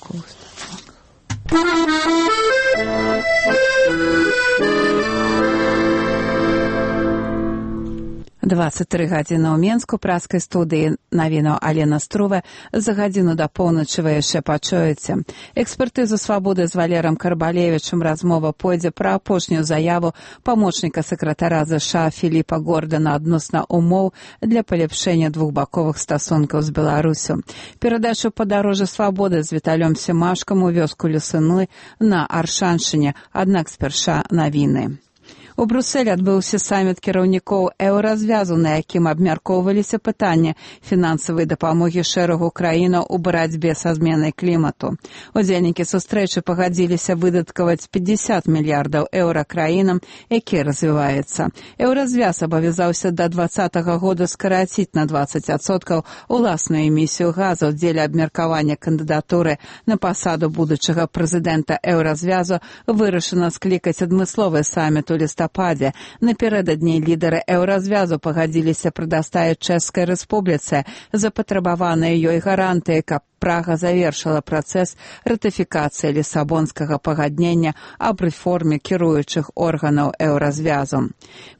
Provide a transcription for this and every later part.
Коўст. 23 гадзіны ў Менску, праскай студыі навінаў Алена Струве. За гадзіну да поўначы вы яшчэ пачуеце. Экспертызу «Свабоды» з Валерам Карбалевічам размова пойдзе пра апошнюю заяву памочніка сакратара ЗША Філіпа Гордана адносна умоў для паляпшэння двухбаковых стасункаў з Беларусю. Перадачу «Падарожжа Свабоды» з Віталём Семашкам у вёску Лесыны на Аршаншыне, аднак спярша навіны. У Брусэлі адбыўся саміт кіраўнікоў еўразвязу, на якім абмяркоўваліся пытанні фінансавай дапамогі шэрагу краінаў у барацьбе са зменай клімату. Удзельнікі сустрэчы пагадзіліся выдаткаваць 50 мільярдаў еўра краінам, якія развіваюцца. Еўразвяз абавязаўся да 2020 года скараціць на 20% уласную эмісію газаў. Дзеля абмеркавання кандыдатуры на пасаду будучага прэзідэнта еўразвязу вырашана склікаць адмысловы саміт у лістападзе. Напярэдадні лідары еўразвязу пагадзіліся прадастаяць Чэшскай рэспубліцы запатрабаваныя ёй гарантыі, каб Прага завершыла працэс ратыфікацыі Лісабонскага пагаднення аб рэформе кіруючых органаў еўразвязу.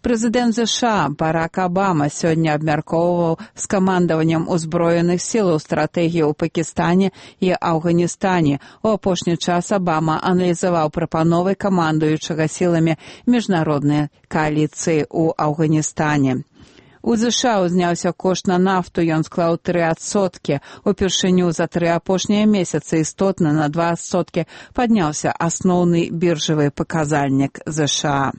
Прэзідэнт ЗША Барак Абама сёння абмяркоўваў з камандаваннем узброеных сілаў стратэгію ў Пакістане і Афганістане. У апошні час Абама аналізаваў прапановы камандуючага сіламі міжнароднай кааліцыі ў Афганістане. У ЗША узняўся кошт на нафту, ён склаў 3%. Упершыню за 3 апошнія месяцы істотна на 2% падняўся асноўны біржавы паказальнік ЗША.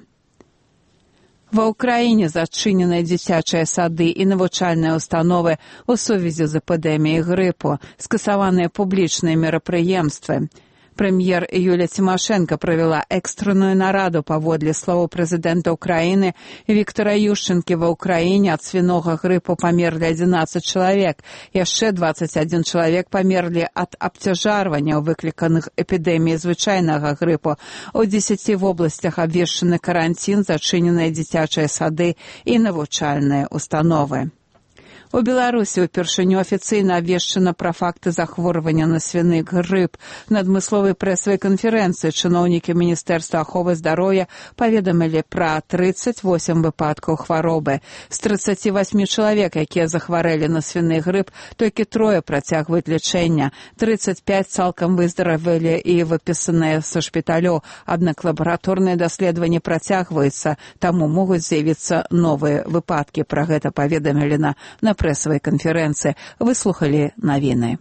Ва ўкраіне зачыненыя дзіцячыя сады і навучальныя установы ў сувязі з эпідэміяй грыпу, скасаваныя публічныя мерапрыемствы. Прэм'ер Юлія Цімашэнка правяла экстранную нараду. Паводле словаў прэзідэнта ўкраіны Віктара Ющэнкі, ва ўкраіне ад свінога грыпу памерлі 11 чалавек. Яшчэ 21 чалавек памерлі ад абцяжарвання, выкліканых эпідэміяй звычайнага грыпу. У 10 вобласцях абвешчаны каранцін, зачыненыя дзіцячыя сады і навучальныя установы. У Беларусі ўпершыню афіцыйна абвешчана пра факты захворвання на свіны грып. На адмысловай прэсавай канферэнцыі чыноўнікі Міністэрства аховы здароўя паведамілі пра 38 выпадкаў хваробы. З 38 чалавек, якія захварэлі на свіны грып, толькі 3 працягваюць лячэнне. 35 цалкам выздаравелі і выпісаныя са шпіталёў, аднак лабараторныя даследаванні працягваюцца, таму могуць з'явіцца новыя выпадкі. Пра гэта паведамілі на прэсавай канферэнцыі. Выслухалі навіны.